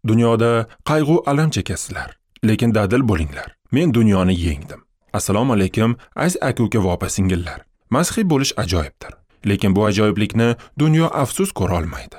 Dunyoda qayg'u alam chekasizlar, lekin dadil bo'linglar. Men dunyoni yengdim. Assalomu alaykum, aziz aka-uka va opa-singillar. Masihiy bo'lish ajoyibdir, lekin bu ajoyiblikni dunyo afsus ko'ra olmaydi.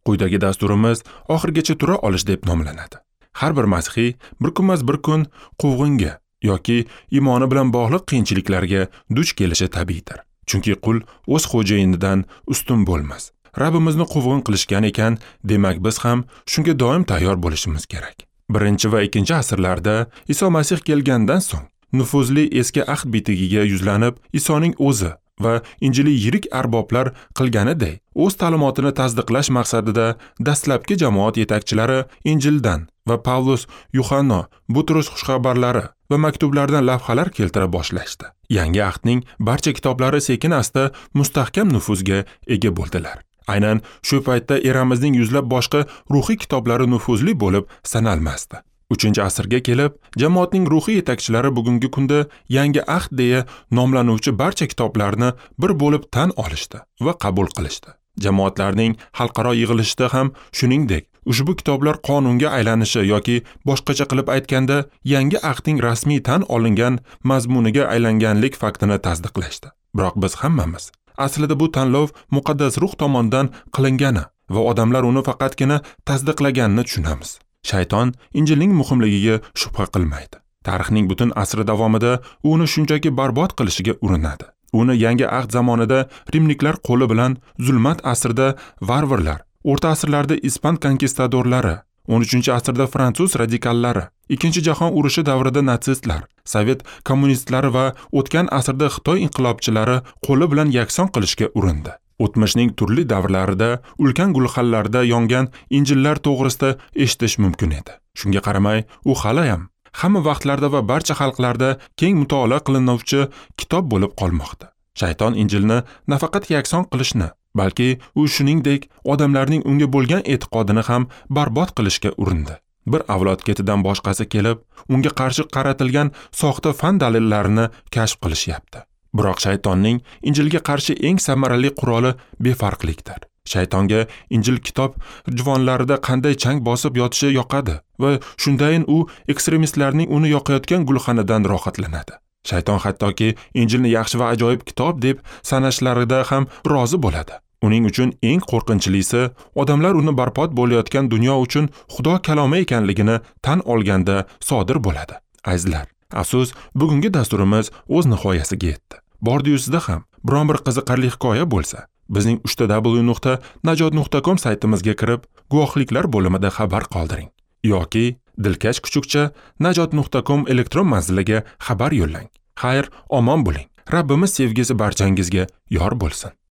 Quyidagi dasturimiz oxirigacha tura olish deb nomlanadi. Har bir masihiy bir kunmas bir kun quvg'inga yoki iymoni bilan bog'liq qiyinchiliklarga duch kelishi tabiiydir. Chunki qul o'z xo'jayinidan ustun bo'lmas. Rabbimizni quvg'in qilishgan ekan, demak biz ham shunga doim tayyor bo'lishimiz kerak. 1 va 2 asrlarda Iso Masih kelgandan so'ng nufuzli eski ahd bitigiga yuzlanib, Isoning o'zi va injiliy yirik arboblar qilganiday o'z ta'limotini tasdiqlash maqsadida dastlabki jamoat yetakchilari Injildan va Pavlus, Yuhanno, Butrus xushxabarlari va maktublardan lavhalar keltira boshlashdi. Yangi ahdning barcha kitoblari sekin-asta mustahkam nufuzga ega bo'ldilar. Aynan shu paytda eramizning yuzlab boshqa ruhiy kitoblari nufuzli bo'lib sanalmasdi. 3-asrga kelib, jamoatning ruhiy yetakchilari bugungi kunda Yangi ahd deya nomlanuvchi barcha kitoblarni bir bo'lib tan olishdi va qabul qilishdi. Jamoatlarning xalqaro yig'ilishida ham shuningdek, ushbu kitoblar qonunga aylanishi yoki boshqacha qilib aytganda, Yangi ahdning rasmiy tan olingan mazmuniga aylanganlik faktini tasdiqlashdi. Biroq biz hammamiz aslida bu tanlov muqaddas ruh tomonidan qilingani va odamlar uni faqatgina tasdiqlaganini tushunamiz. Shayton Injilning muhimligiga shubha qilmaydi. Tarixning butun asri davomida u uni shunchaki barbod qilishiga urinadi. Uni yangi ahd zamonida rimliklar qo'li bilan, zulmat asrida varvarlar, o'rta asrlarda ispan konkistadorlari, 13-asrda fransuz radikallari, 2-jahon urushi davrida natsistlar, sovet kommunistlari va o'tgan asrda Xitoy inqilobchilari qo'li bilan yakson qilishga urindi. O'tmishning turli davrlarida ulkan gulxanlarda yongan injillar to'g'risida eshitish mumkin edi. Shunga qaramay, u hali ham hamma vaqtlarda va barcha xalqlarda keng mutolaa qilinuvchi kitob bo'lib qolmoqda. Shayton Injilni nafaqat yakson qilishni, balki u shuningdek odamlarning unga bo'lgan e'tiqodini ham barbod qilishga urindi. Bir avlod ketidan boshqasi kelib, unga qarshi qaratilgan soxta fan dalillarini kashf qilishyapti. Biroq shaytonning Injilga qarshi eng samarali quroli befarqlikdir. Shaytonga Injil kitob juvonlarida qanday chang bosib yotishi yoqadi va shundayin u ekstremistlarning uni yoqayotgan gulxanidan rohatlanadi. Shayton hattoki Injilni yaxshi va ajoyib kitob deb sanashlarida ham rozi bo'ladi. Uning uchun eng qo'rqinchlisi odamlar uni barbod bo'layotgan dunyo uchun Xudo kalomi ekanligini tan olganda sodir bo'ladi. Azizlar, afsus, bugungi dasturimiz o'z nihoyasiga yetdi. Bordi-yu sizda ham biron bir qiziqarli hikoya bo'lsa, bizning www.najot.com saytimizga kirib, guvohliklar bo'limida xabar qoldiring yoki dilkash kuchukcha najot.com elektron manziliga xabar yo'llang. Xayr, omon bo'ling. Rabbimiz sevgisi barchangizga yor bo'lsin.